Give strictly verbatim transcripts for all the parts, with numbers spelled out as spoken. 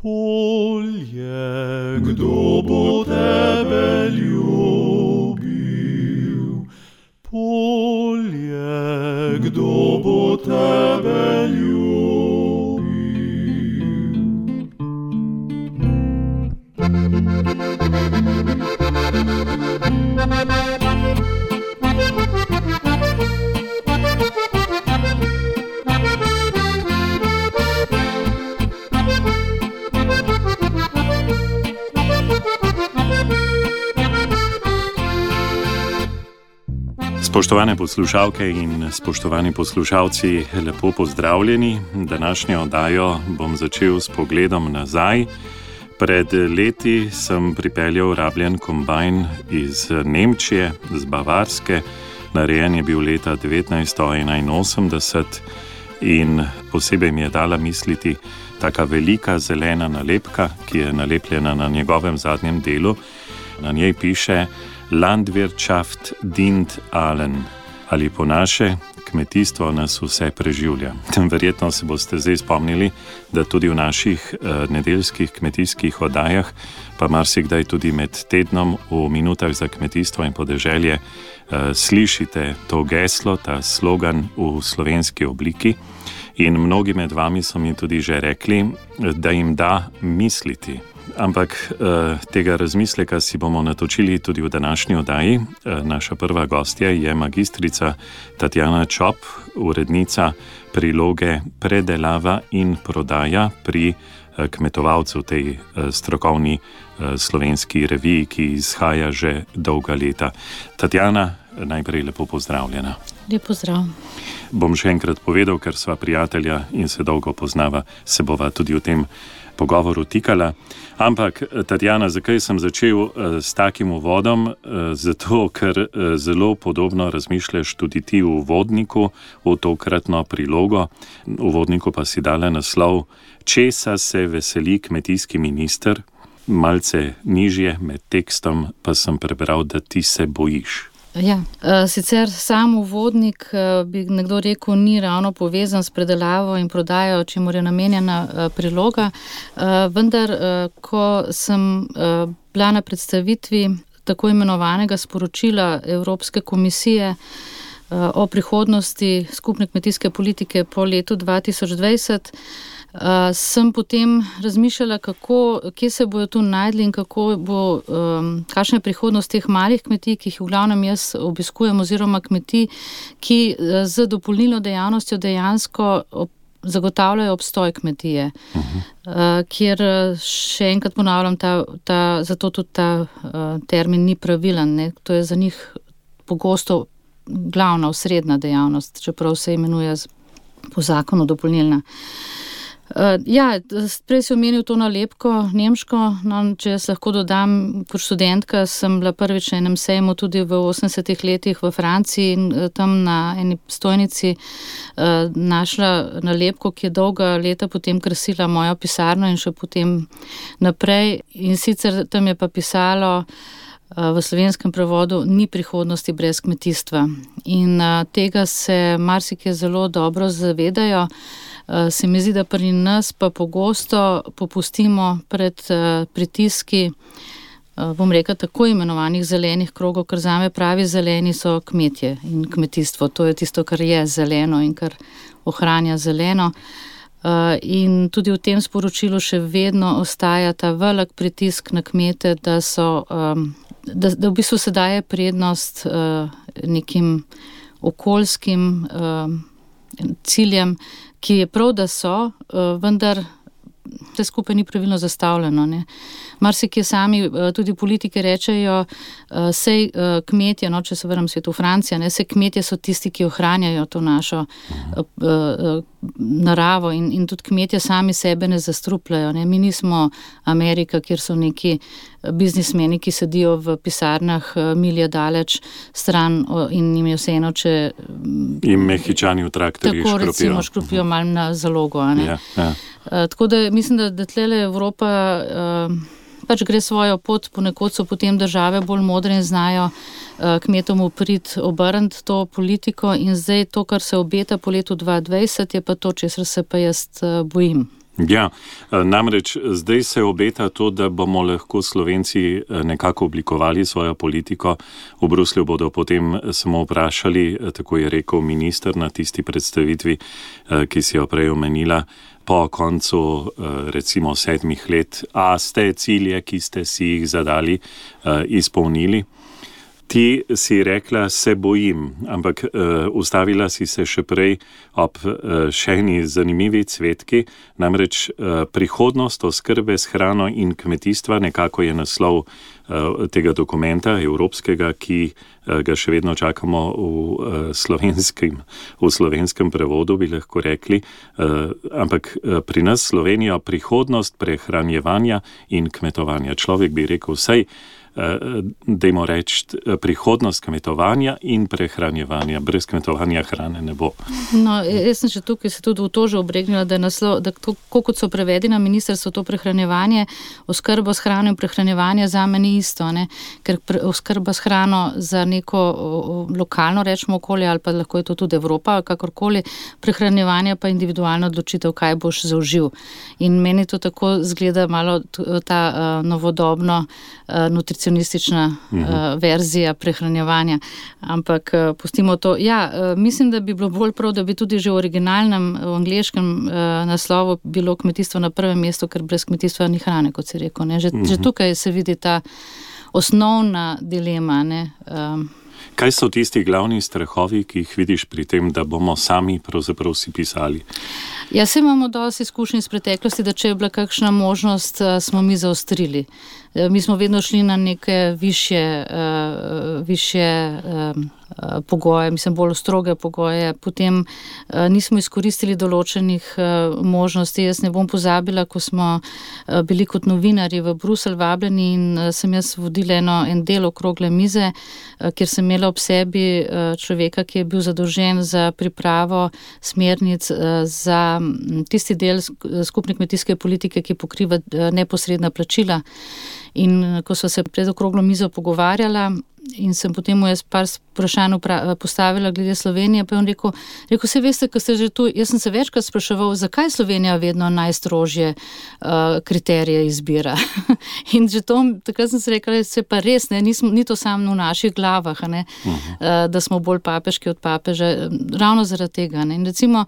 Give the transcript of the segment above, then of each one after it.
Polje, kdo bo tebe ljubil? Polje, kdo bo tebe ljubil? Spoštovane poslušalke in spoštovani poslušalci, lepo pozdravljeni. Današnjo oddajo bom začel s pogledom nazaj. Pred leti sem pripeljal rabljen kombajn iz Nemčije, z Bavarske. Narejen je bil leta devetnajststo enainosemdeset in posebej mi je dala misliti taka velika zelena nalepka, ki je nalepljena na njegovem zadnjem delu. Na njej piše Landwirtschaft dient allen, ali po naše, kmetijstvo nas vse preživlja. Verjetno se boste zdaj spomnili, da tudi v naših uh, nedeljskih kmetijskih oddajah, pa marsikdaj tudi med tednom v minutah za kmetijstvo in podeželje, uh, slišite to geslo, ta slogan v slovenski obliki. In mnogi med vami so mi tudi že rekli, da jim da misliti. Ampak eh, tega razmisleka si bomo natočili tudi v današnji oddaji. Eh, naša prva gostja je magistrica Tatjana Čop, urednica priloge Predelava in prodaja pri eh, kmetovalcu, tej eh, strokovni eh, slovenski reviji, ki izhaja že dolga leta. Tatjana, najprej lepo pozdravljena. Lep pozdrav. Bom še enkrat povedal, ker sva prijatelja in se dolgo poznava, se bova tudi v tem pogovoru tikala. Ampak, Tatjana, zakaj sem začel uh, s takim uvodom? Uh, zato, ker uh, zelo podobno razmišljaš tudi ti v uvodniku, v tokratno prilogo. V uvodniku pa si dala naslov Česa se veseli kmetijski minister? Malce nižje med tekstom pa sem prebral, da ti se bojiš. Ja, sicer sam uvodnik, bi nekdo rekel, ni ravno povezan s predelavo in prodajo, čemur je namenjena priloga, vendar, ko sem bila na predstavitvi tako imenovanega sporočila Evropske komisije o prihodnosti skupne kmetijske politike po letu dva tisoč dvajset, Uh, sem potem razmišljala, kako, kje se bojo tu najdli in kako bo, um, kakšna je prihodnost teh malih kmetij, ki jih v glavnem jaz obiskujem, oziroma kmetij, ki uh, z dopolnilno dejavnostjo dejansko ob, zagotavljajo obstoj kmetije. Uh-huh. Uh, kjer še enkrat ponavljam, ta, ta, zato tudi ta uh, termin ni pravilen, ne? To je za njih pogosto glavna, osrednja dejavnost, čeprav se imenuje po zakonu dopolnilna. Uh, ja, prej si omenil to nalepko nemško, no, če jaz lahko dodam, kot študentka sem bila prvič na enem sejmu tudi v osemdesetih letih v Franciji in uh, tam na eni stojnici uh, našla nalepko, ki je dolga leta potem krasila mojo pisarno in še potem naprej, in sicer tam je pa pisalo uh, v slovenskem prevodu ni prihodnosti brez kmetijstva. In uh, tega se marsikje zelo dobro zavedajo. Uh, se mi zdi, da pri nas pa pogosto popustimo pred uh, pritiski, uh, bom rekla, tako imenovanih zelenih krogov, ker zame pravi zeleni so kmetje in kmetijstvo. To je tisto, kar je zeleno in kar ohranja zeleno. Uh, in tudi v tem sporočilu še vedno ostaja ta velik pritisk na kmete, da so, um, da, da v bistvu se daje prednost uh, nekim okoljskim uh, ciljem, ki je prav, da so, vendar vse skupaj ni pravilno zastavljeno. Ne. Marsikje sami tudi politike rečejo, sej kmetje, no, če se vrnem svet v Francijo, ne, sej kmetje so tisti, ki ohranjajo to našo naravo in, in tudi kmetje sami sebe ne zastrupljajo. Ne. Mi nismo Amerika, kjer so neki biznismeni, ki sedijo v pisarnah milje daleč stran in jim je vseeno, če... In Mehičani v traktorji škropijo. Tako recimo škropijo malo na zalogo. A ne. Ja, ja. Uh, tako da mislim, da, da tlele Evropa uh, pač gre svojo pot, ponekod so potem države bolj modre in znajo uh, kmetom uprit obrniti to politiko in zdaj to, kar se obeta po letu dva tisoč dvajset, je pa to, česar se pa jaz uh, bojim. Ja, namreč zdaj se obeta to, da bomo lahko Slovenci nekako oblikovali svojo politiko. V Bruslju bodo potem samo vprašali, tako je rekel minister na tisti predstavitvi, ki si jo prej omenila, po koncu recimo sedmih let, a ste cilje, ki ste si jih zadali, izpolnili. Ti si rekla, se bojim, ampak uh, ustavila si se še prej ob uh, še eni zanimivi cvetki, namreč uh, prihodnost oskrbe s hrano in kmetijstva, nekako je naslov uh, tega dokumenta evropskega, ki uh, ga še vedno čakamo v, uh, slovenskem, v slovenskem prevodu, bi lahko rekli, uh, ampak uh, pri nas Slovenijo prihodnost prehranjevanja in kmetovanja. Človek bi rekel, vsaj dajmo reči, prihodnost kmetovanja in prehranjevanja. Brez kmetovanja hrane ne bo. No, jaz sem še tukaj se tudi v to že obregnila, da, naslov, da to, kot so prevedi na ministrstvo, to prehranjevanje, oskrbo s hrano in prehranjevanje zame ni isto, ne? Ker pre, oskrba s hrano za neko o, lokalno, rečemo, okolje, ali pa lahko je to tudi Evropa, kakorkoli, prehranjevanje pa individualno odločitev, kaj boš zaužil. In meni to tako zgleda malo ta uh, novodobno uh, nutricionalno nutricionistična uh, verzija prehranjevanja, ampak uh, pustimo to. Ja, uh, mislim, da bi bilo bolj prav, da bi tudi že v originalnem, v angleškem uh, naslovu bilo kmetijstvo na prvem mestu, ker brez kmetijstva ni hrane, kot si rekel. Ne? Že, uh-huh. že tukaj se vidi ta osnovna dilema. Ne? Um, Kaj so tisti glavni strahovi, ki jih vidiš pri tem, da bomo sami pravzaprav si pisali? Ja, se imamo dosti izkušnji iz preteklosti, da če je bila kakšna možnost, smo mi zaostrili. Mi smo vedno šli na neke višje, uh, višje um, pogoje, mislim, bolj stroge pogoje. Potem uh, nismo izkoristili določenih uh, možnosti. Jaz ne bom pozabila, ko smo uh, bili kot novinarji v Bruselj vabljeni in uh, sem jaz vodila eno, en del okrogle mize, uh, kjer sem imela ob sebi uh, človeka, ki je bil zadolžen za pripravo smernic uh, za tisti del skupne kmetijske politike, ki pokriva uh, neposredna plačila. In ko so se pred okroglo mizo pogovarjala in sem potem mu jaz par vprašanj postavila glede Slovenije, pa je on rekel, rekel, se veste, ko ste že tu, jaz sem se večkrat spraševal, zakaj Slovenija vedno najstrožje uh, kriterije izbira. In že to, takrat sem se rekla, se pa res, ne, nismo, ni to samo v naših glavah, ne, uh-huh. uh, da smo bolj papeški od papeža, ravno zaradi tega. Ne. In recimo,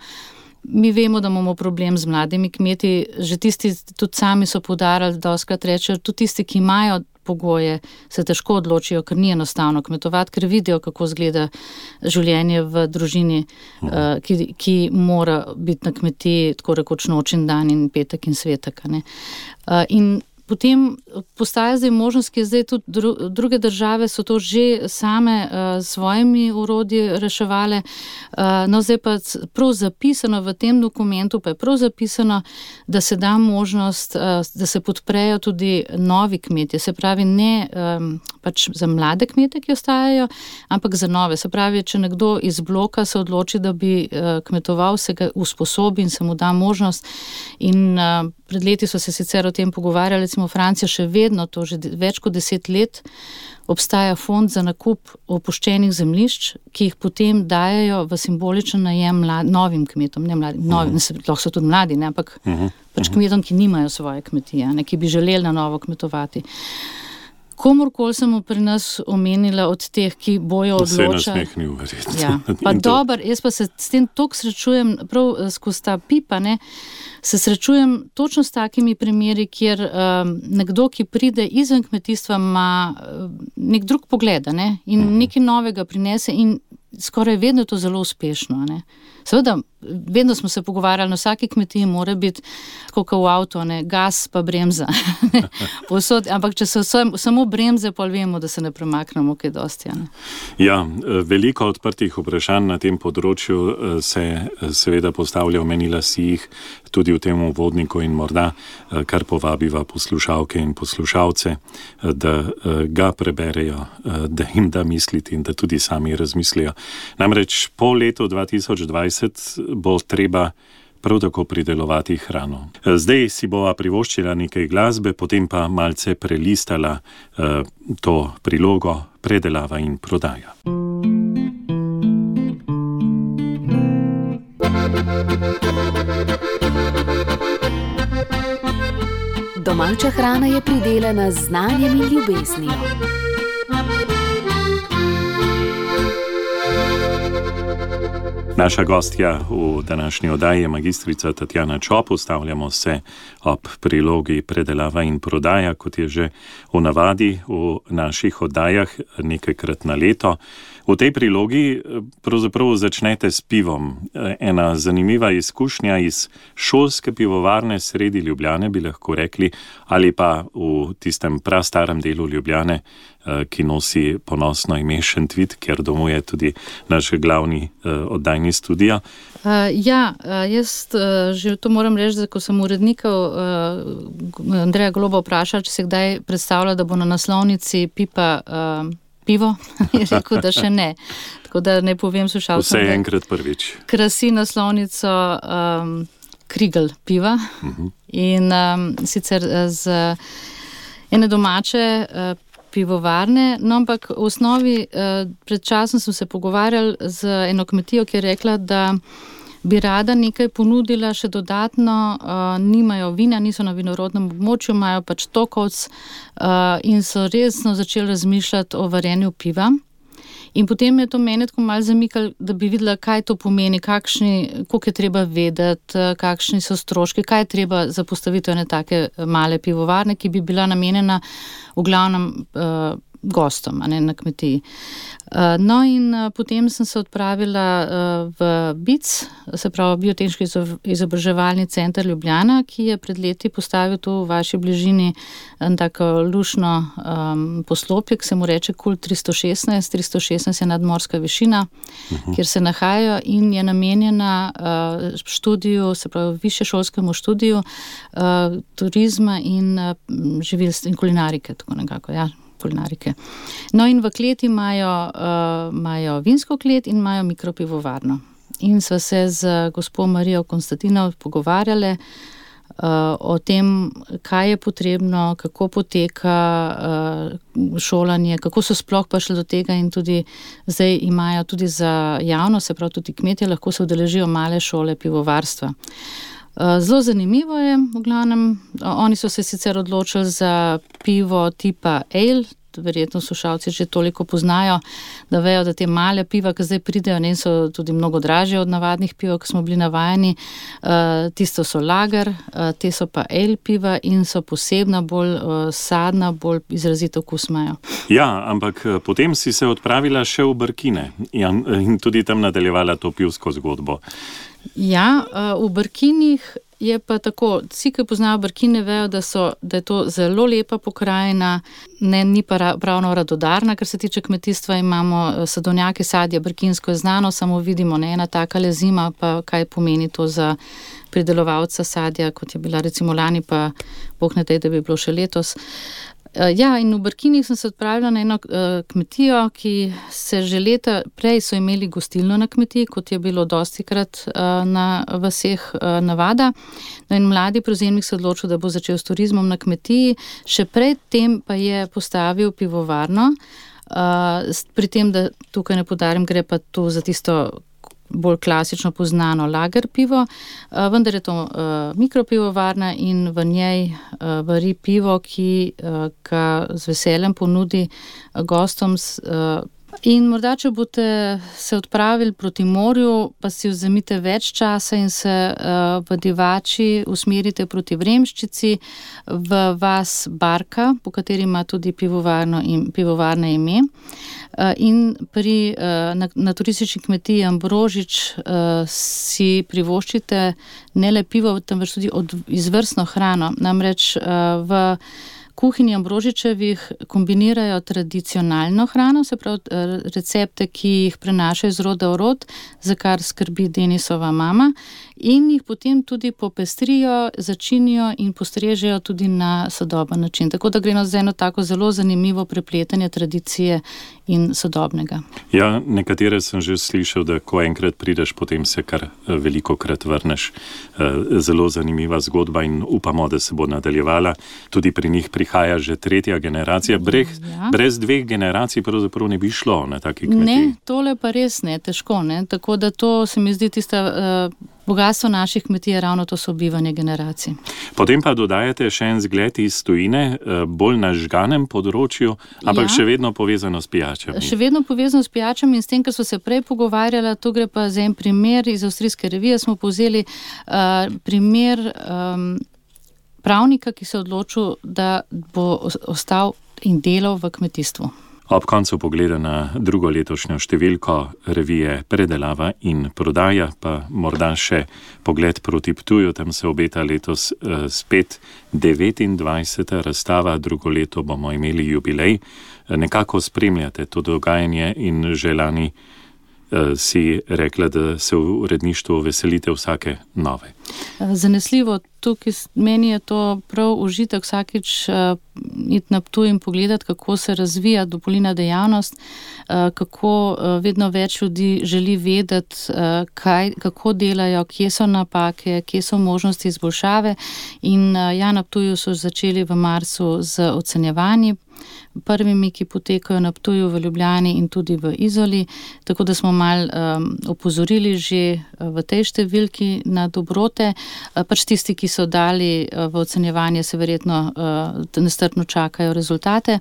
mi vemo, da imamo problem z mladimi kmeti, že tisti tudi sami so poudarjali, da doskrat rečejo, tudi tisti, ki imajo pogoje, se težko odločijo, ker ni enostavno kmetovati, ker vidijo, kako izgleda življenje v družini, uh, ki, ki mora biti na kmetiji tako rekoč noč in dan in petek in svetek. Ne? Uh, in potem postaja zdaj možnost, ki je zdaj tudi dru, druge države so to že same uh, svojimi urodji reševale. Uh, no, zdaj pa prav zapisano v tem dokumentu, pa je prav zapisano, da se da možnost, uh, da se podprejo tudi novi kmetje. Se pravi, ne um, pač za mlade kmete, ki ostajajo, ampak za nove. Se pravi, če nekdo iz bloka se odloči, da bi uh, kmetoval, se ga usposobi in se mu da možnost. In uh, pred leti so se sicer o tem pogovarjali, recimo Francija še vedno, to že več kot deset let, obstaja fond za nakup opuščenih zemljišč, ki jih potem dajajo v simboličen najem mlad, novim kmetom, ne mladim, novim, uh-huh. lahko so tudi mladi, ne, ampak uh-huh. pač kmetom, ki nimajo svoje kmetije, ne, ki bi želeli na novo kmetovati. Komorkoli sem pri nas omenila od teh, ki bojo odločali. Vse nasmeh ni uverjetno. Ja, pa dober, jaz pa se s tem toliko srečujem, prav skozi ta pipa, ne, se srečujem točno s takimi primeri, kjer um, nekdo, ki pride izven kmetijstva, ima nek drug pogled, ne, in uh-huh. nekaj novega prinese in skoraj vedno je to zelo uspešno, ne. Seveda, vedno smo se pogovarjali, na vsaki kmetiji mora biti, tako kot v avto, ne, gas pa bremza. Posod, ampak če so samo bremze, pa vemo, da se ne premaknemo kaj dosti. Ne. Ja, veliko odprtih vprašanj na tem področju se seveda postavlja, omenila si jih tudi v tem uvodniku in morda kar povabiva poslušalke in poslušalce, da ga preberejo, da jim da misliti in da tudi sami razmislijo. Namreč po letu dva tisoč dvajset bo treba prav tako pridelovati hrano. Zdaj si bova privoščila nekaj glasbe, potem pa malce prelistala uh, to prilogo predelava in prodaja. Domača hrana je pridelana z znanjem in ljubeznijo. Naša gostja v današnji oddaji je magistrica Tatjana Čop. Ustavljamo se ob prilogi predelava in prodaja, kot je že v navadi v naših oddajah nekajkrat na leto. V tej prilogi pravzaprav začnete s pivom. Ena zanimiva izkušnja iz šolske pivovarne sredi Ljubljane, bi lahko rekli, ali pa v tistem prastarem delu Ljubljane, ki nosi ponosno ime Šentvid, ker domuje tudi naš glavni oddajni studio. Uh, ja, uh, jaz uh, že to moram reči, da ko sem urednikov uh, Andreja Goloba vprašala, če se kdaj predstavlja, da bo na naslovnici pipa uh, pivo, je rekel, da še ne. Tako da ne povem slušalcem, vse je enkrat prvič. Krasi naslovnico um, Krigl piva uh-huh. in um, sicer z ene domače uh, pivovarne, no ampak v osnovi uh, pred časom sem se pogovarjal z eno kmetijo, ki je rekla, da bi rada nekaj ponudila še dodatno, uh, nimajo vina, niso na vinorodnem območju, imajo pač tokovc uh, in so resno začeli razmišljati o varjenju piva. In potem je to mene tako malo zamikalo, da bi videla, kaj to pomeni, kakšni, koliko je treba vedeti, kakšni so stroški, kaj je treba za postavitev ene take male pivovarne, ki bi bila namenjena v glavnem uh, gostom, a ne na kmetiji. Uh, no in uh, potem sem se odpravila uh, v B I C, se pravi Biotehniški izobraževalni center Ljubljana, ki je pred leti postavil tu v vaši bližini en tako lušno um, poslopje, ki se mu reče Kult tristo šestnajst. tristo šestnajst je nadmorska višina, uh-huh. kjer se nahajajo in je namenjena uh, študiju, se pravi višješolskemu študiju uh, turizma in uh, živilstva in kulinarike, tako nekako, ja. kulinarike. No in v kleti imajo, uh, imajo vinsko klet in imajo mikropivovarno. In sva se z gospo Marijo Konstantinov pogovarjale uh, o tem, kaj je potrebno, kako poteka uh, šolanje, kako so sploh prišli do tega in tudi zdaj imajo tudi za javno, se pravi tudi kmetje, lahko se udeležijo male šole pivovarstva. Zelo zanimivo je, v glavnem, oni so se sicer odločili za pivo tipa ale, verjetno slušalci že toliko poznajo, da vejo, da te male piva, ki zdaj pridejo, ne, so tudi mnogo dražje od navadnih piva, ki smo bili navajeni, uh, tisto so lager, uh, te so pa ale piva in so posebna, bolj uh, sadna, bolj izrazito okus imajo. Ja, ampak potem si se odpravila še v Brkine in, in tudi tam nadaljevala to pivsko zgodbo. Ja, v Brkinih je pa tako, vsi, ki poznajo Brkine, vejo, da, so, da je to zelo lepa pokrajina, ne, ni pa pravno radodarna, kar se tiče kmetijstva, imamo sadovnjake, sadje, brkinsko je znano, samo vidimo, ne, ena taka zima, pa kaj pomeni to za pridelovalca sadja, kot je bila recimo lani, pa Bog ne daj, da bi bilo še letos. Ja, in v Brkinih sem se odpravila na eno uh, kmetijo, ki se že leta prej so imeli gostilno na kmetiji, kot je bilo dostikrat uh, na vaseh uh, navada. No in mladi prevzemnik se odločil, da bo začel s turizmom na kmetiji, še pred tem pa je postavil pivovarno, uh, pri tem, da tukaj ne podarim, gre pa tu za tisto bolj klasično poznano lager pivo, vendar je to mikropivovarna in v njej vari pivo, ki ga z veseljem ponudi gostom. In morda, če boste se odpravili proti morju, pa si vzemite več časa in se uh, v Divači usmerite proti Vremščici v vas Barka, po kateri ima tudi pivovarno in pivovarne ime. Uh, in pri, uh, na, na turistični kmetiji Ambrožič uh, si privoščite ne le pivo, temveč tudi od, izvrstno hrano. Namreč uh, v kuhinji Ambrožičevih kombinirajo tradicionalno hrano, se pravi recepte, ki jih prenašajo iz roda v rod, za kar skrbi Denisova mama, in jih potem tudi popestrijo, začinijo in postrežejo tudi na sodoben način. Tako da gre za eno tako zelo zanimivo prepletanje tradicije in sodobnega. Ja, nekatere sem že slišal, da ko enkrat prideš, potem se kar veliko krat vrneš. Zelo zanimiva zgodba in upamo, da se bo nadaljevala. Tudi pri njih prihaja že tretja generacija. Brez, ja. brez dveh generacij pravzaprav ne bi šlo na taki kmetiji. Ne, tole pa res ne, težko. Ne? Tako da to se mi zdi tista uh, bogatstvo naših kmetij je ravno to sobivanje generacij. Potem pa dodajate še en zgled iz tujine, bolj na žganem področju, ampak ja. še vedno povezano s pijačami. Še vedno povezano s pijačami in s tem, kar so se prej pogovarjala, to gre pa za en primer iz Avstrijske revije, smo povzeli uh, primer um, pravnika, ki se je odločil, da bo ostal in delal v kmetijstvu. Ob koncu pogleda na drugo letošnjo številko revije Predelava in prodaja, pa morda še pogled proti Ptuju, tam se obeta letos eh, spet devetindvajseta razstava, drugo leto bomo imeli jubilej. Nekako spremljate to dogajanje in že lani eh, si rekla, da se v uredništvu veselite vsake nove. Zanesljivo, tukaj meni je to prav užitek vsakič uh, iti na Ptuj in pogledati, kako se razvija dopolnilna dejavnost, uh, kako uh, vedno več ljudi želi vedeti, uh, kaj, kako delajo, kje so napake, kje so možnosti izboljšave. In uh, ja, na Ptuju so začeli v marcu z ocenjevanji, prvimi, ki potekajo na Ptuju, v Ljubljani in tudi v Izoli, tako da smo mal um, opozorili že v tej številki na dobrote. Uh, pač tisti, ki so dali uh, v ocenjevanje, se verjetno uh, nestrpno čakajo rezultate.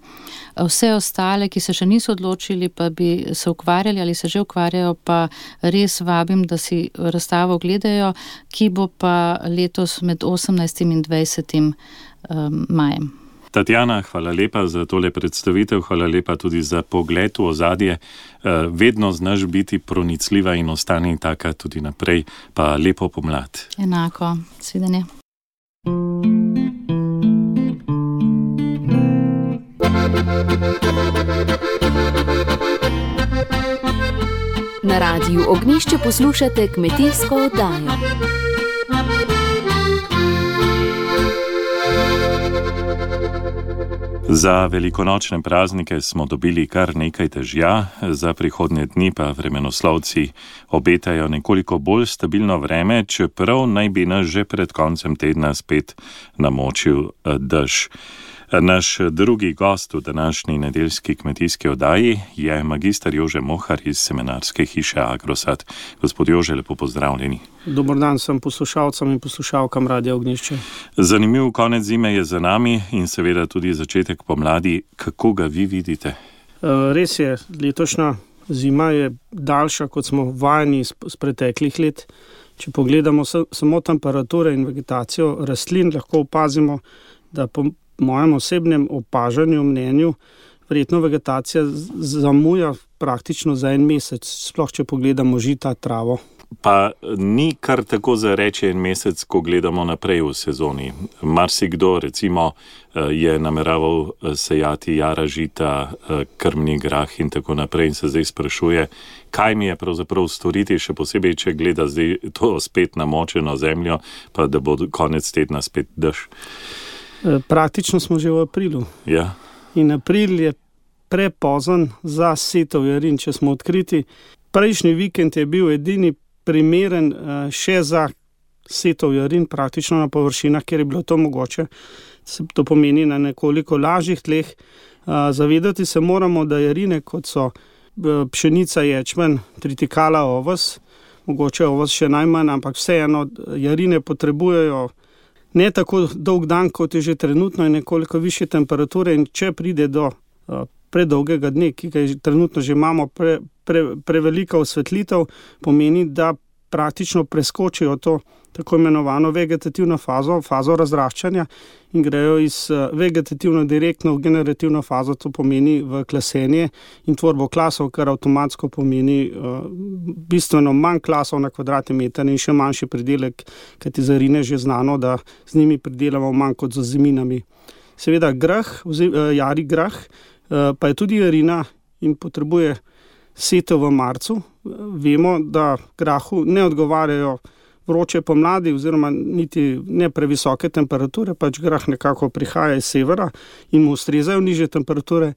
Uh, vse ostale, ki se še niso odločili, pa bi se ukvarjali ali se že ukvarjajo, pa res vabim, da si razstavo gledajo, ki bo pa letos med osemnajstim in dvajsetim um, majem. Tatjana, hvala lepa za tole predstavitev, hvala lepa tudi za pogled v ozadje. Vedno znaš biti pronicljiva in ostani taka tudi naprej, pa lepo pomlad. Enako, svidenje. Na Radiu Ognjišče poslušate kmetijsko oddajo. Za velikonočne praznike smo dobili kar nekaj težja, za prihodnje dni pa vremenoslovci obetajo nekoliko bolj stabilno vreme, čeprav naj bi nas že pred koncem tedna spet namočil dež. Naš drugi gost v današnji nedeljski kmetijski oddaji je magister Jože Mohar iz seminarske hiše Agrosad. Gospod Jože, lepo pozdravljeni. Dober dan sem poslušalcem in poslušalkam Radia Ognjišče. Zanimiv konec zime je za nami in seveda tudi začetek pomladi. Kako ga vi vidite? Res je, letošnja zima je daljša, kot smo vajeni z preteklih let. Če pogledamo samo temperature in vegetacijo rastlin, lahko opazimo, da po mojem osebnem opažanju, mnenju, verjetno vegetacija zamuja praktično za en mesec, sploh če pogledamo žita, travo. Pa ni kar tako za reči en mesec, ko gledamo naprej v sezoni. Marsikdo recimo je nameraval sejati jara žita, krmni grah in tako naprej in se zdaj sprašuje, kaj mi je pravzaprav storiti, še posebej, če gleda zdaj to spet namočeno zemljo, pa da bo konec tedna spet dež. Praktično smo že v aprilu. Ja. In april je prepozen za setov jarin, če smo odkriti. Prejšnji vikend je bil edini primeren še za setov jarin, praktično na površinah, kjer je bilo to mogoče. To pomeni na nekoliko lažjih tleh. Zavedati se moramo, da jarine, kot so pšenica, ječmen, tritikala, oves, mogoče oves še najmanj, ampak vseeno jarine potrebujejo ne tako dolg dan, kot je že trenutno, in nekoliko više temperature, in če pride do uh, predolgega dne, ki ga je trenutno že imamo, pre, pre, prevelika osvetlitev, pomeni, da praktično preskočijo to tako imenovano vegetativno fazo, fazo razraščanja in grejo iz uh, vegetativno direktno v generativno fazo, to pomeni v klasenje in tvorbo klasov, kar avtomatsko pomeni uh, bistveno manj klasov na kvadratni meter in še manjši pridelek, kajti za rine že znano, da z njimi pridelamo manj kot z zeminami. Seveda grah, vzim, uh, jari grah, uh, pa je tudi jarina in potrebuje setev v marcu. Vemo, da grahu ne odgovarjajo vroče pomladi oziroma niti ne previsoke temperature, pač grah nekako prihaja iz severa in mu ustrezajo nižje temperature,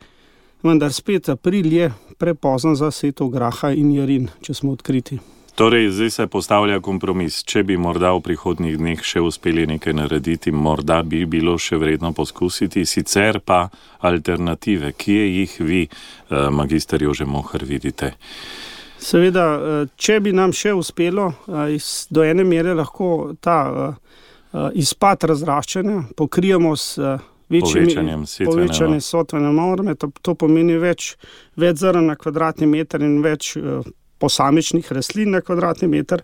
vendar spet april je prepozen za setev graha in jarin, če smo odkriti. Torej, zdaj se postavlja kompromis. Če bi morda v prihodnjih dneh še uspeli nekaj narediti, morda bi bilo še vredno poskusiti, sicer pa alternative, kje jih vi, magister Jože Mohar, vidite? Seveda, če bi nam še uspelo do ene mere lahko ta izpad razraščanja pokrijemo s povečanjem povečanje setvene norme, to, to pomeni več, več zrn na kvadratni meter in več uh, posamičnih rastlin na kvadratni meter.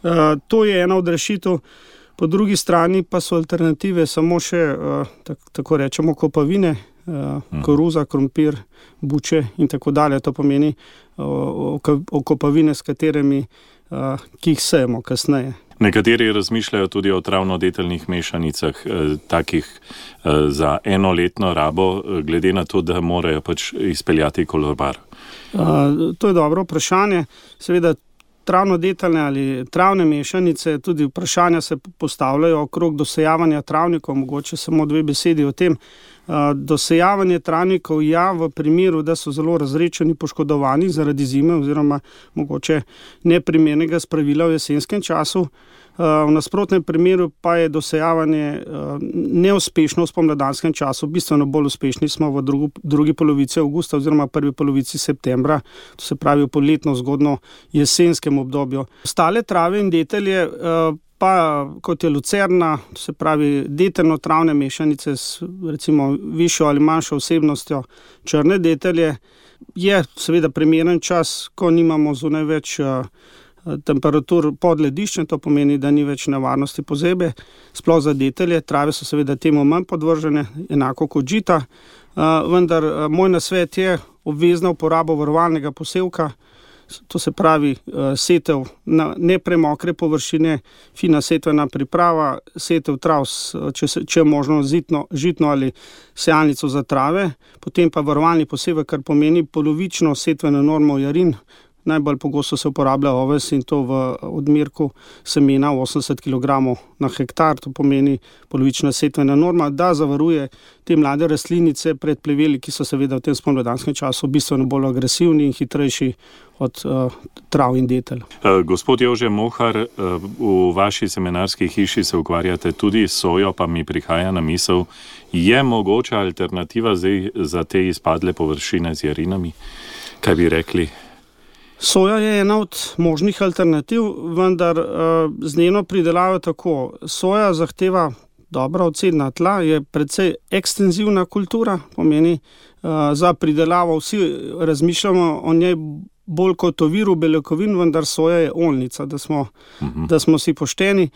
Uh, to je ena od rešitev. Po drugi strani pa so alternative samo še, uh, tak, tako rečemo, kopavine, uh, hmm. koruza, krompir, buče in tako dalje. To pomeni uh, okopavine, s katerimi, uh, ki jih sejemo kasneje. Nekateri razmišljajo tudi o travnodeteljnih mešanicah, eh, takih eh, za enoletno rabo, glede na to, da morajo pač izpeljati kolobar. Uh, to je dobro vprašanje. Seveda travnodeteljne ali travne mešanice, tudi vprašanja se postavljajo okrog dosejavanja travnikov, mogoče samo dve besedi o tem. Uh, dosejavanje travnikov ja, v primeru, da so zelo razrečeni, poškodovani zaradi zime oziroma mogoče neprimernega spravila v jesenskem času. Uh, v nasprotnem primeru pa je dosejavanje uh, neuspešno v spomladanskem času, bistveno bolj uspešni smo v drugu, drugi polovici avgusta oziroma prvi polovici septembra, to se pravi v poletno zgodno jesenskem obdobju. Ostale trave in detelje uh, pa kot je lucerna, to se pravi detelno-travne mešanice s recimo višjo ali manjšo vsebnostjo črne detelje, je seveda primeren čas, ko nimamo zunaj več uh, temperatur pod lediščem, to pomeni, da ni več nevarnosti pozebe, sploh za detelje. Trave so seveda temu manj podvržene, enako kot žita, uh, vendar uh, moj nasvet je obvezna uporaba varovalnega posevka. To se pravi setev na nepremokre površine, fina setvena priprava, setev trav, če, če je možno zitno, žitno ali sejalnico za trave, potem pa varovalni posevek, kar pomeni polovično setveno normo jarin. Najbolj pogosto se uporablja oves in to v odmerku semena osemdeset kilogramov na hektar, to pomeni polovična setvena norma, da zavaruje te mlade rastlinice pred pleveli, ki so seveda v tem spomladanskem času bistveno bolj agresivni in hitrejši od uh, trav in detelj. Uh, gospod Jože Mohar, uh, v vaši seminarski hiši se ukvarjate tudi s sojo, pa mi prihaja na misel, je mogoča alternativa zdaj za te izpadle površine z jarinami? Kaj bi rekli? Soja je ena od možnih alternativ, vendar uh, z njeno pridelavo tako. Soja zahteva dobra odcedna tla, je precej ekstenzivna kultura, pomeni uh, za pridelavo vsi razmišljamo o njej bolj kot o viru beljakovin, vendar soja je oljnica, da smo, uh-huh. da smo si pošteni.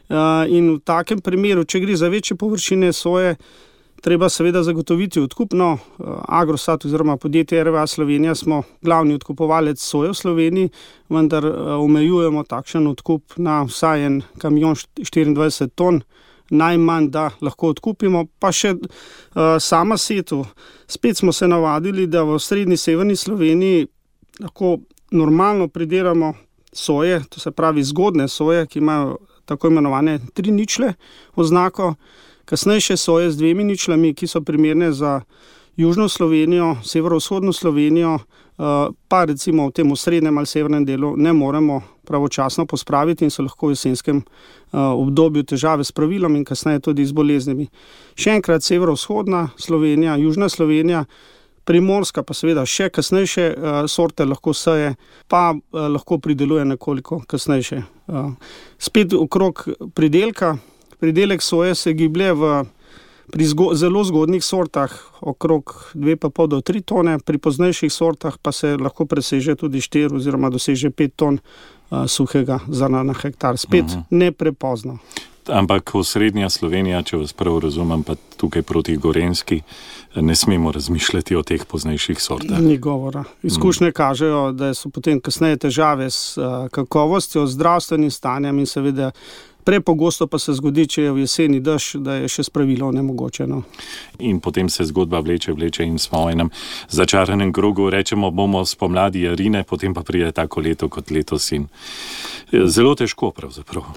Uh, in v takem primeru, če gre za večje površine soje, treba seveda zagotoviti odkup. No, Agrostat oziroma podjetje R V A Slovenija smo glavni odkupovalec soje v Sloveniji, vendar omejujemo takšen odkup na vsaj en kamion štiriindvajset ton, najmanj, da lahko odkupimo. Pa še uh, sama setev. Spet smo se navadili, da v srednji severni Sloveniji lahko normalno pridelamo soje, to se pravi zgodne soje, ki imajo tako imenovane tri ničle oznako, kasnejše soje z dvemi ničlami, ki so primerne za južno Slovenijo, severovzhodno Slovenijo, pa recimo v tem srednjem ali severnem delu ne moremo pravočasno pospraviti in so lahko v jesenskem obdobju težave s pravilom in kasneje tudi z boleznimi. Še enkrat severovzhodna Slovenija, južna Slovenija, primorska pa seveda še kasnejše sorte lahko seje, pa lahko prideluje nekoliko kasnejše. Spet okrog pridelka. Pridelek soje se giblje v, pri zgo, zelo zgodnih sortah okrog dve pa pol do tri tone, pri poznejših sortah pa se lahko preseže tudi štiri oziroma doseže pet ton uh, suhega zrna na hektar. Spet uh-huh. ne prepozno. Ampak v srednja Slovenija, če vas prav razumem, pa tukaj proti Gorenjski, ne smemo razmišljati o teh poznejših sortah. Ni govora. Izkušnje mm. kažejo, da so potem kasneje težave s uh, kakovostjo, zdravstvenim stanjem in seveda prepogosto pa se zgodi, če je v jeseni dež, da je še spravilo nemogočeno. In potem se zgodba vleče, vleče in smo v enem začaranem krogu, rečemo, bomo spomladi jarine, potem pa pride tako leto kot letos in zelo težko pravzaprav.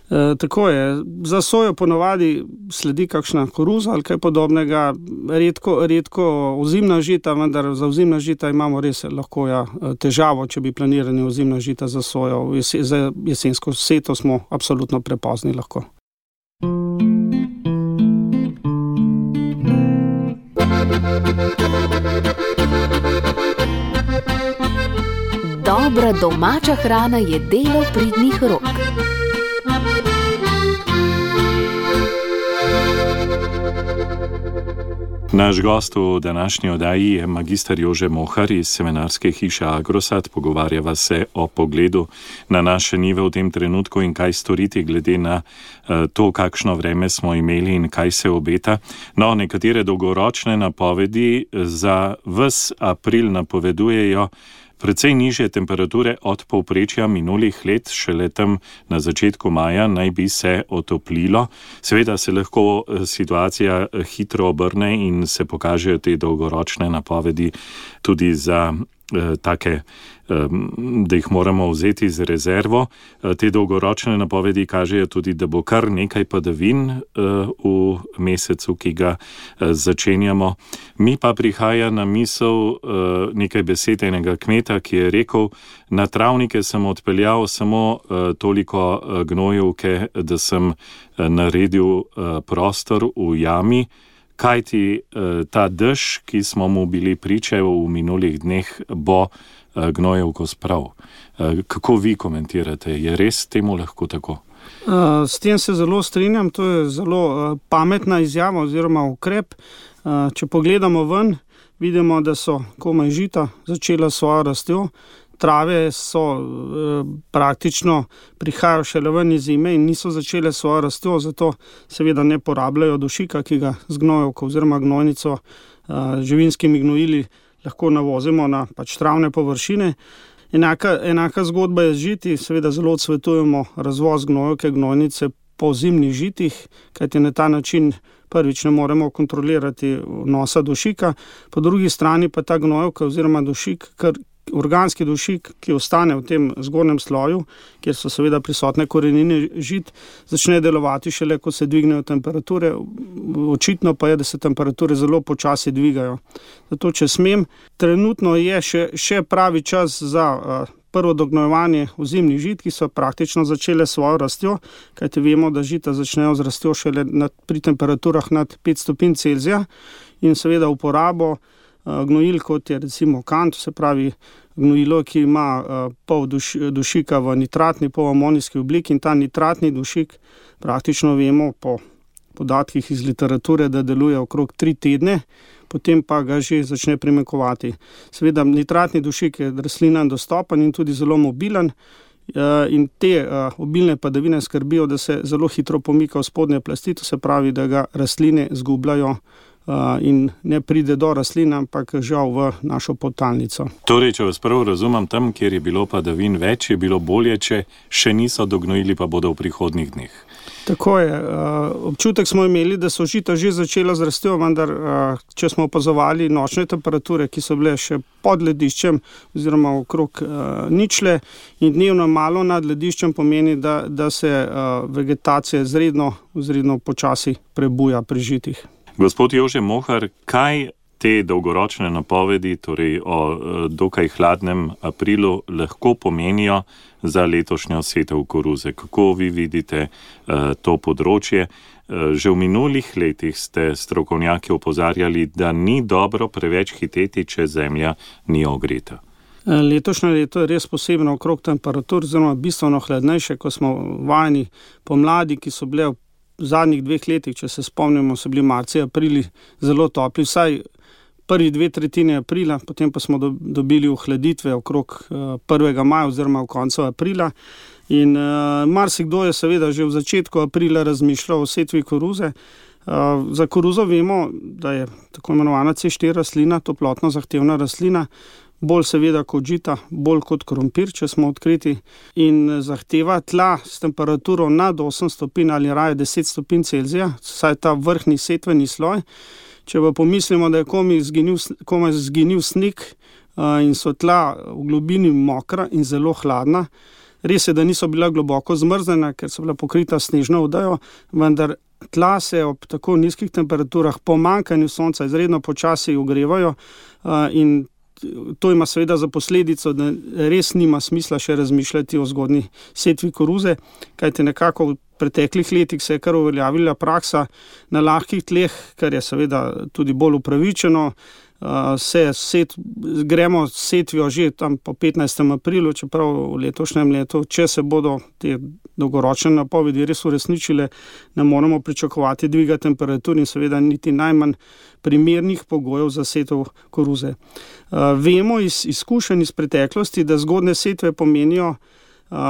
E, tako je. Za sojo ponovadi sledi kakšna koruza ali kaj podobnega, redko, redko ozimna žita, vendar za ozimna žita imamo res lahko ja, težavo, če bi planirali ozimna žita za sojo. Jese, za jesensko seto smo absolutno prepozni lahko. Dobra domača hrana je delo pridnih rok. Naš gost v današnji oddaji je magister Jože Mohar iz semenarske hiše Agrosad. Pogovarjava se o pogledu na naše njive v tem trenutku in kaj storiti glede na to, kakšno vreme smo imeli in kaj se obeta. No, nekatere dolgoročne napovedi za ves april napovedujejo precej nižje temperature od povprečja minulih let, šele tam na začetku maja naj bi se otoplilo. Seveda se lahko situacija hitro obrne in se pokažejo te dolgoročne napovedi tudi za eh, take, eh, da jih moramo vzeti z rezervo. Eh, te dolgoročne napovedi kažejo tudi, da bo kar nekaj padavin eh, v mesecu, ki ga eh, začenjamo. Mi pa prihaja na misel eh, nekaj besed enega kmeta, ki je rekel: na travnike sem odpeljal samo eh, toliko eh, gnojevke, da sem eh, naredil eh, prostor v jami, kajti eh, ta dež, ki smo mu bili priče v minulih dneh, bo eh, gnojevko sprav. Eh, kako vi komentirate? Je res temu lahko tako? Uh, s tem se zelo strinjam, to je zelo uh, pametna izjava oziroma ukrep. Uh, če pogledamo ven, vidimo, da so komaj žita začela svojo rastjo, trave so uh, praktično prihajajo šele ven iz zime in niso začele svojo rastjo, zato seveda ne porabljajo dušika, ki ga z gnojevko oziroma gnojnico uh, živinskimi gnojili lahko navozimo na pač travne površine. Enaka, enaka zgodba je z žiti, seveda zelo odsvetujemo razvoz gnojevke, gnojnice po zimnih žitih, kajti na ta način prvič ne moremo kontrolirati vnosa dušika, po drugi strani pa ta gnojevka oziroma dušik, kar organski dušik, ki ostane v tem zgornjem sloju, kjer so seveda prisotne korenine žit, začne delovati šele, ko se dvignejo temperature. Očitno pa je, da se temperature zelo počasi dvigajo. Zato, če smem, trenutno je še, še pravi čas za uh, prvo dognojevanje ozimnih žit, ki so praktično začele svojo rastjo, kajti vemo, da žita začnejo z rastjo šele nad, pri temperaturah nad pet stopinj Celzija, in seveda uporabo gnojil, kot je recimo kant, se pravi gnojilo, ki ima uh, pol duš, dušika v nitratni, pol amonijski obliki, in ta nitratni dušik praktično vemo po podatkih iz literature, da deluje okrog tri tedne, potem pa ga že začne primanjkovati. Seveda nitratni dušik je rastlinam dostopen in tudi zelo mobilen, uh, in te uh, obilne padavine skrbijo, da se zelo hitro pomika v spodnje plasti, to se pravi, da ga rastline zgubljajo Uh, in ne pride do rastlin, ampak žal v našo podtalnico. Torej, če vas prav razumem, tam, kjer je bilo padavin več, je bilo bolje, če še niso dognojili, pa bodo v prihodnjih dneh. Tako je. Uh, občutek smo imeli, da so žita že začela z rastjo, vendar uh, če smo opazovali nočne temperature, ki so bile še pod lediščem oziroma okrog uh, ničle, in dnevno malo nad lediščem, pomeni, da, da se uh, vegetacija zredno, zredno počasi prebuja pri žitih. Gospod Jože Mohar, kaj te dolgoročne napovedi, torej o dokaj hladnem aprilu, lahko pomenijo za letošnjo setev koruze? Kako vi vidite uh, to področje? Uh, že v minulih letih ste strokovnjaki opozarjali, da ni dobro preveč hiteti, če zemlja ni ogreta. Letošnje leto je res posebno okrog temperatur, oziroma bistveno hladnejše, ko smo vajeni pomladi, ki so bile v zadnjih dveh letih, če se spomnimo, so bili marci, aprili zelo topli, vsaj prvi dve tretjine aprila, potem pa smo do, dobili ohladitve okrog uh, prvega maja oziroma v koncu aprila. In uh, marsikdo je seveda že v začetku aprila razmišljal o setvi koruze. Uh, za koruzo vemo, da je tako imenovana C štiri rastlina, toplotno zahtevna rastlina, bolj seveda kot žita, bolj kot krompir, če smo odkriti, in zahteva tla s temperaturo nad osem stopinj ali raje deset stopinj Celzija, saj ta vrhnji setveni sloj. Če pa pomislimo, da je komaj zginil, komaj zginil sneg uh, in so tla v globini mokra in zelo hladna, res je, da niso bila globoko zmrznjena, ker so bila pokrita snežno odejo, vendar tla se ob tako nizkih temperaturah po manjkanju sonca izredno počasi ogrevajo uh, in to ima seveda za posledico, da res nima smisla še razmišljati o zgodnji setvi koruze, kajte nekako v preteklih letih se je kar uveljavila praksa na lahkih tleh, kar je seveda tudi bolj upravičeno, se set, gremo s setvijo že tam po petnajstem aprilu, čeprav v letošnjem letu, če se bodo te dolgoročne napovedi res uresničile, ne moramo pričakovati dviga temperatur in seveda niti najmanj primernih pogojev za setev koruze. Vemo iz izkušenj iz preteklosti, da zgodne setve pomenijo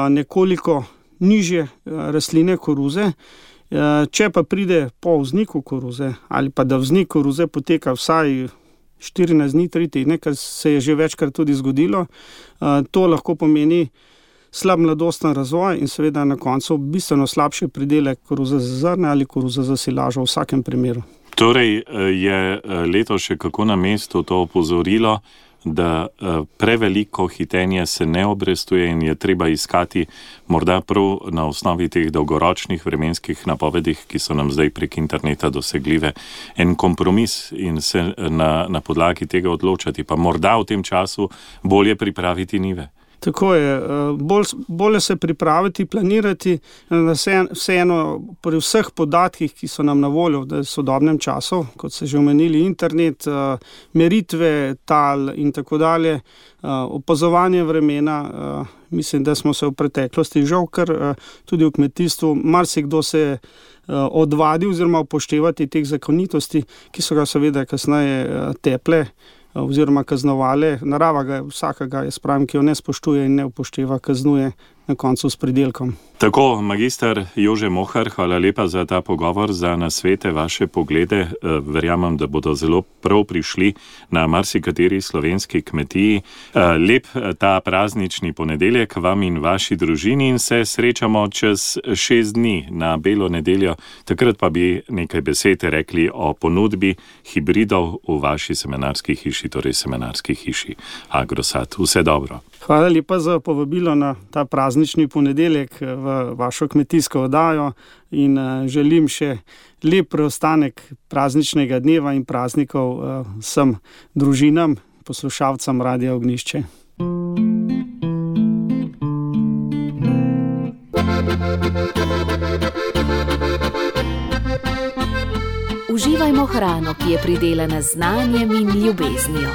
nekoliko nižje rastline koruze. Če pa pride po vzniku koruze ali pa da vznik koruze poteka vsaj štirinajst dni, tri tedne, kar se je že večkrat tudi zgodilo, to lahko pomeni slab mladosten razvoj in seveda na koncu bistveno slabši pridelek koruze za zrne ali koruze za silažo v vsakem primeru. Torej je leto še kako na mestu to opozorilo, da preveliko hitenje se ne obrestuje in je treba iskati morda prav na osnovi teh dolgoročnih vremenskih napovedih, ki so nam zdaj prek interneta dosegljive, en kompromis in se na, na podlagi tega odločati, pa morda v tem času bolje pripraviti njive. Tako je, bolj, bolje se pripraviti, planirati, vseeno pri vseh podatkih, ki so nam na voljo v sodobnem času, kot se že omenili, internet, meritve, tal in tako dalje, opazovanje vremena, mislim, da smo se v preteklosti žal kar tudi v kmetijstvu, marsikdo se je odvadil oziroma upoštevati teh zakonitosti, ki so ga seveda kasneje teple oziroma kaznovale. Narava ga vsakega, jaz pravim, ki jo ne spoštuje in ne upošteva, kaznuje na koncu s pridelkom. Tako, magister Jože Mohar, hvala lepa za ta pogovor, za nasvete, vaše poglede. Verjamem, da bodo zelo prav prišli na marsikateri slovenski kmetiji. Lep ta praznični ponedeljek vam in vaši družini in se srečamo čez šest dni na Belo nedeljo. Takrat pa bi nekaj besed rekli o ponudbi hibridov v vaši semenarski hiši, torej semenarski hiši Agrosat. Vse dobro. Hvala lepa za povabilo na ta praznični ponedeljek v vašo kmetijsko oddajo in želim še lep preostanek prazničnega dneva in praznikov vsem družinam, poslušalcem Radia Ognjišče. Uživajmo hrano, ki je pridelana z znanjem in ljubeznijo.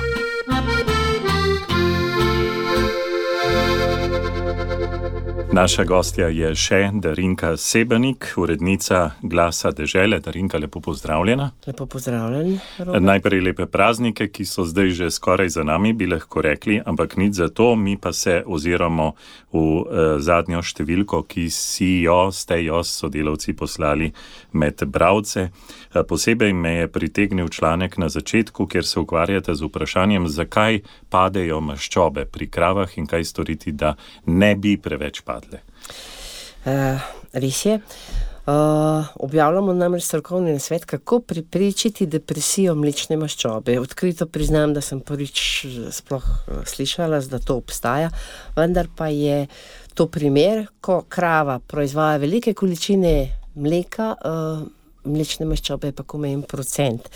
Naša gostja je še Darinka Sebenik, urednica Glasa dežele. Darinka, lepo pozdravljena. Lepo pozdravljeni, Robert. Najprej lepe praznike, ki so zdaj že skoraj za nami, bi lahko rekli, ampak nič za to, mi pa se oziramo v eh, zadnjo številko, ki si jo, ste jo s sodelavci poslali med bralce. Eh, posebej me je pritegnil članek na začetku, kjer se ukvarjate z vprašanjem, zakaj padejo maščobe pri kravah in kaj storiti, da ne bi preveč padle. Uh, res je. Uh, objavljamo namreč strokovni nasvet, kako preprečiti depresijo mlečne maščobe. Odkrito priznam, da sem prvič sploh slišala, da to obstaja, vendar pa je to primer, ko krava proizvaja velike količine mleka, uh, mlečne maščobe je pa komaj en procent.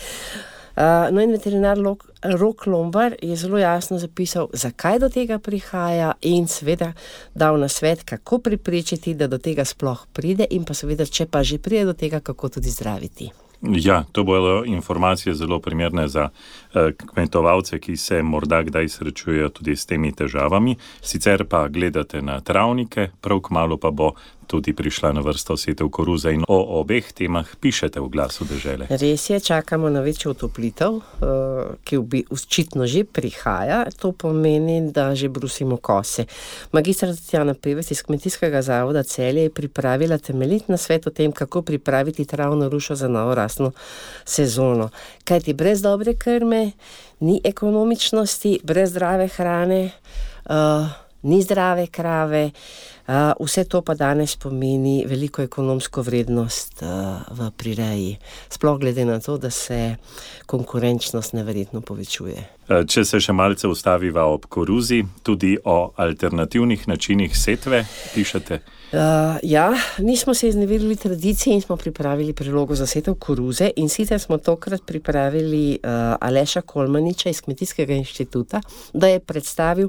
Uh, no in veterinar Rok Lombar je zelo jasno zapisal, zakaj do tega prihaja in seveda dal nasvet, kako preprečiti, da do tega sploh pride in pa seveda, če pa že pride do tega, kako tudi zdraviti. Ja, to bodo informacije zelo primerne za eh, kmetovalce, ki se morda kdaj srečujejo tudi s temi težavami. Sicer pa gledate na travnike, prav kmalu pa bo tudi prišla na vrsto setev koruze in o obeh temah pišete v Glasu dežele. Res je, čakamo na večjo otoplitev, uh, ki bi očitno že prihaja. To pomeni, da že brusimo kose. Magistra Tatjana Pevec iz Kmetijskega zavoda Celje je pripravila temeljit nasvet o tem, kako pripraviti travno rušo za novo rastno sezono. Kajti brez dobre krme ni ekonomičnosti, brez zdrave hrane, uh, ni zdrave krave, uh, vse to pa danes pomeni veliko ekonomsko vrednost uh, v prireji. Sploh glede na to, da se konkurenčnost neverjetno povečuje. Če se še malce ustaviva ob koruzi, tudi o alternativnih načinih setve pišete? Uh, ja, nismo se izneverili tradiciji in smo pripravili prilogo za setev koruze in sicer smo tokrat pripravili uh, Aleša Kolmaniča iz Kmetijskega inštituta, da je predstavil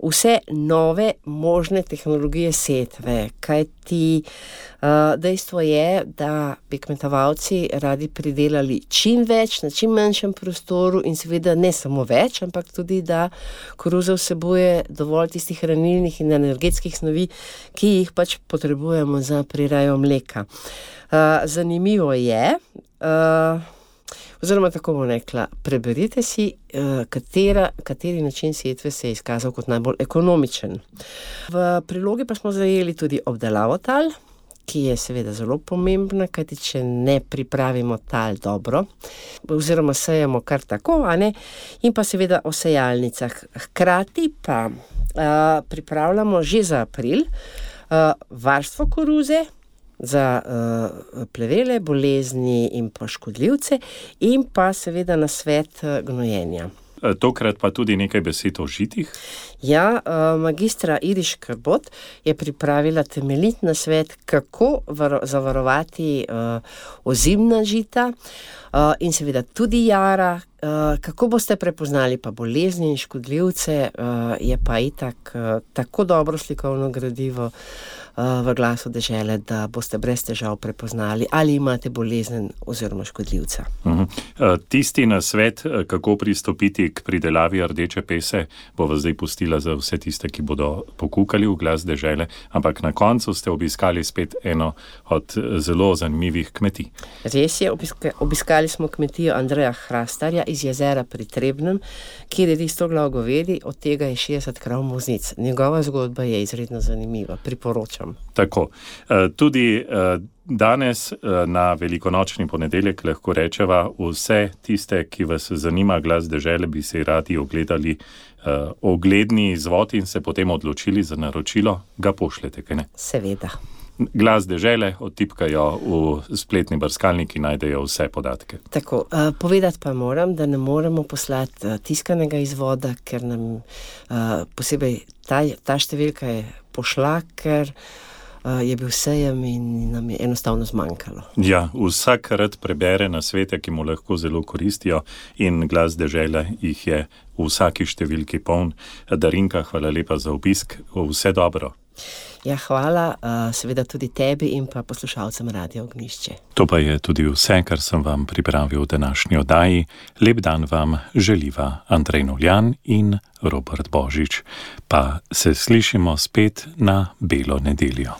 vse nove možne tehnologije setve, kajti uh, dejstvo je, da bi kmetovalci radi pridelali čim več na čim manjšem prostoru in seveda ne samo več, ampak tudi, da koruza vsebuje dovolj tistih hranilnih in energetskih snovi, ki jih pač potrebujemo za prirejo mleka. Uh, zanimivo je, uh, oziroma tako bom rekla, preberite si, uh, katera, kateri način setve se je izkazal kot najbolj ekonomičen. V prilogi pa smo zajeli tudi obdelavo tal, ki je seveda zelo pomembna, kajti če ne pripravimo tal dobro, oziroma sejemo kar tako, a ne, in pa seveda o sejalnicah. Hkrati pa uh, pripravljamo že za april uh, varstvo koruze, za uh, plevele, bolezni in pa škodljivce in pa seveda nasvet uh, gnojenja. Tokrat pa tudi nekaj besed o žitih. Ja, uh, magistra Iriš Krbot je pripravila temeljit nasvet, kako varo- zavarovati uh, ozimna žita uh, in seveda tudi jara. Uh, kako boste prepoznali pa bolezni in škodljivce, uh, je pa itak uh, tako dobro slikovno gradivo uh, v Glasu dežele, da boste brez težav prepoznali, ali imate bolezen oziroma škodljivca. Uh-huh. Uh, tisti nasvet, kako pristopiti k pridelavi rdeče pese, bova zdaj pustila za vse tiste, ki bodo pokukali v Glas dežele, ampak na koncu ste obiskali spet eno od zelo zanimivih kmetij. Res je, obiska- obiskali smo kmetijo Andreja Hrastarja iz jezera pri Trebnjem, kjer je sto glav govedi, od tega je šestdeset krav muznic. Njegova zgodba je izredno zanimiva, priporočam. Tako. Tudi danes na velikonočni ponedeljek lahko rečeva, vse tiste, ki vas zanima Glas dežele, bi si radi ogledali ogledni izvod in se potem odločili za naročilo, ga pošljete, kaj ne? Seveda. Glas dežele, odtipkajo v spletni brskalnik in najdejo vse podatke. Tako, uh, povedati pa moram, da ne moremo poslati uh, tiskanega izvoda, ker nam uh, posebej ta, ta številka je pošla, ker uh, je bil sejem in nam je enostavno zmanjkalo. Ja, vsak rad prebere nasvete, ki mu lahko zelo koristijo in Glas dežele jih je v vsaki številki poln. Darinka, hvala lepa za obisk, vse dobro. Ja, hvala, uh, seveda tudi tebi in pa poslušalcem Radia Ognjišče. To pa je tudi vse, kar sem vam pripravil v današnji oddaji. Lep dan vam želiva Andrej Noljan in Robert Božič. Pa se slišimo spet na Belo nedeljo.